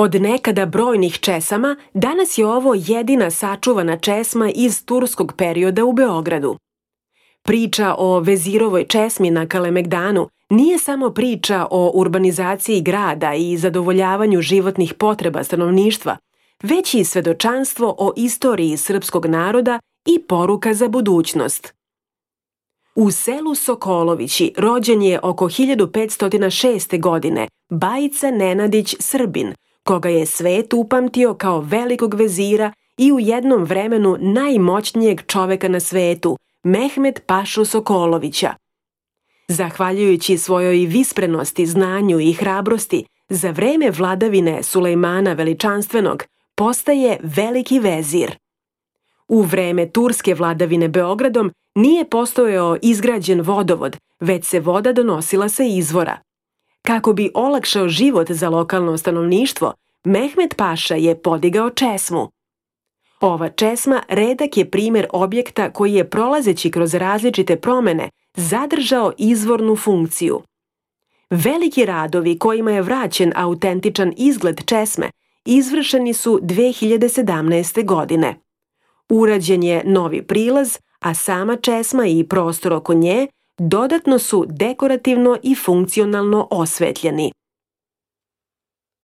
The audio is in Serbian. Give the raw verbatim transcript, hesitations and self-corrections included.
Od nekada brojnih česama, danas je ovo jedina sačuvana česma iz turskog perioda u Beogradu. Priča o Vezirovoj česmi na Kalemegdanu nije samo priča o urbanizaciji grada i zadovoljavanju životnih potreba stanovništva, već i svedočanstvo o istoriji srpskog naroda i poruka za budućnost. U selu Sokolovići rođen je oko hiljadu petsto šeste. godine Bajica Nenadić Srbin, koga je svet upamtio kao velikog vezira i u jednom vremenu najmoćnijeg čoveka na svetu, Mehmet Pašu Sokolovića. Zahvaljujući svojoj visprenosti, znanju i hrabrosti, za vreme vladavine Sulejmana Veličanstvenog postaje veliki vezir. U vreme turske vladavine Beogradom nije postojao izgrađen vodovod, već se voda donosila sa izvora. Kako bi olakšao život za lokalno stanovništvo, Mehmet Paša je podigao česmu. Ova česma redak je primjer objekta koji je, prolazeći kroz različite promene, zadržao izvornu funkciju. Veliki radovi kojima je vraćen autentičan izgled česme izvršeni su dve hiljade sedamnaeste. godine. Urađen je novi prilaz, a sama česma i prostor oko nje dodatno su dekorativno i funkcionalno osvetljeni.